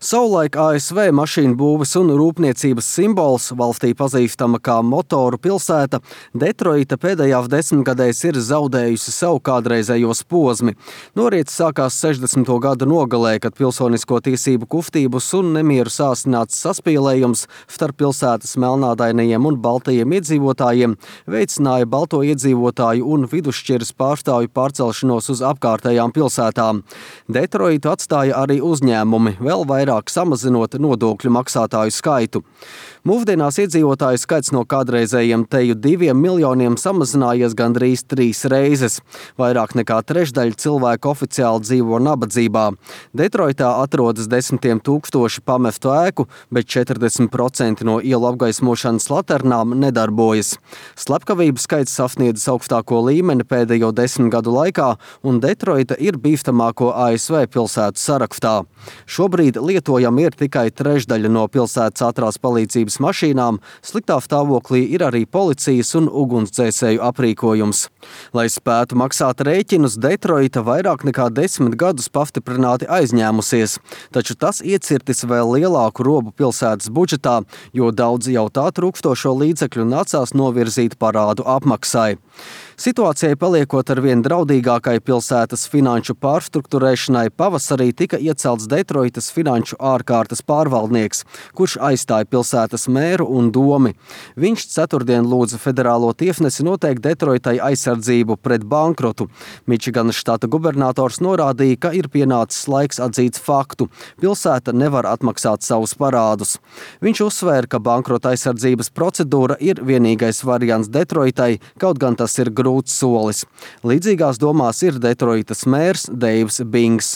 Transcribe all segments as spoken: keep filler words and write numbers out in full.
Savulaik A S V mašīnu būves un rūpniecības simbols, valstī pazīstama kā motoru pilsēta, Detroita pēdējās desmitgadēs ir zaudējusi savu kādreizējos posmi. Noriets sākās sešdesmito gadu nogalē, kad pilsonisko tiesību kustības un nemieru sāsināts saspīlējums starp pilsētas melnādainajiem un baltajiem iedzīvotājiem veicināja balto iedzīvotāju un vidusšķiras pārstāvju pārcelšanos uz apkārtējām pilsētām. Detroitu atstāja arī uzņēmumi, vēl vairāk samazinot nodokļu maksātāju skaitu. Mūsdienās iedzīvotāju skaits no kādreizējiem teju diviem miljoniem samazinājies gandrīz trīs reizes. Vairāk nekā trešdaļa cilvēku oficiāli dzīvo nabadzībā. Detroitā atrodas desmitiem tūkstoši pamestu ēku, bet četrdesmit procenti no ielu apgaismošanas laternām nedarbojas. Slepkavību skaits sasniedzis augstāko līmeni pēdējo desmit gadu laikā, un Detroita ir bīstamāko A S V pilsētu sarakstā. Šobrīd lietojama ir tikai trešdaļa no pilsētas ātrās palīdzības mašīnām, sliktā stāvoklī ir arī policijas un ugunsdzēsēju aprīkojums. Lai spētu maksāt rēķinus, Detroita vairāk nekā desmit gadus pastiprināti aizņēmusies, taču tas iecirtis vēl lielāku robu pilsētas budžetā, jo daudz jau tā trūkstošo līdzekļu nācās novirzīt parādu apmaksai. Situācijai paliekot arvien draudīgākai pilsētas finanšu pārstruktūrēšanai, pavasarī tika iecelts Detroitas finanšu ārkārtas pārvaldnieks, kurš aizstāja pilsētas mēru un domi. Viņš ceturtdien lūdza federālo tiesnesi noteikt Detroitai aizsardzību pret bankrotu. Mičiganas štata gubernators norādīja, ka ir pienācis laiks atzīt faktu. Pilsēta nevar atmaksāt savus parādus. Viņš uzsvēra, ka bankrota aizsardzības procedūra ir vienīgais variants Detroitai, kaut gan tas ir grūti. Solis. Līdzīgās domās ir Detroitas mērs Deivs Bings.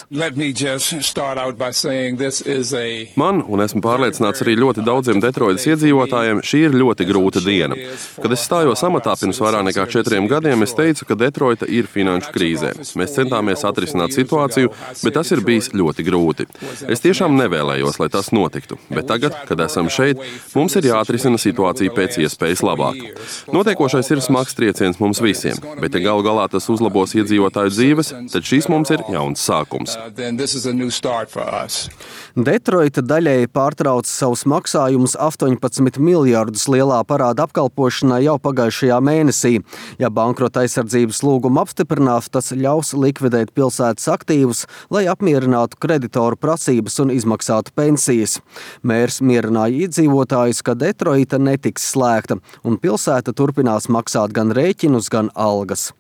Man, un esmu pārliecināts arī ļoti daudziem Detroitas iedzīvotājiem, šī ir ļoti grūta diena. Kad es stājos amatā pirms vairāk nekā četriem gadiem, es teicu, ka Detroita ir finanšu krīzē. Mēs centāmies atrisināt situāciju, bet tas ir bijis ļoti grūti. Es tiešām nevēlējos, lai tas notiktu, bet tagad, kad esam šeit, mums ir jāatrisina situācija pēc iespējas labāk. Notiekošais ir smags trieciens mums visiem. Bet, ja galu galā tas uzlabos iedzīvotāju dzīves, tad šis mums ir jauns sākums. Detroita daļēji pārtrauca savus maksājumus astoņpadsmit miljardus lielā parāda apkalpošanai jau pagājušajā mēnesī. Ja bankrota aizsardzības lūgumu apstiprinās, tas ļaus likvidēt pilsētas aktīvus, lai apmierinātu kreditoru prasības un izmaksātu pensijas. Mērs mierināja iedzīvotājus, ka Detroita netiks slēgta, un pilsēta turpinās maksāt gan rēķinus, gan algas.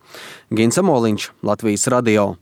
Gins Amoliņš, Latvijas radio.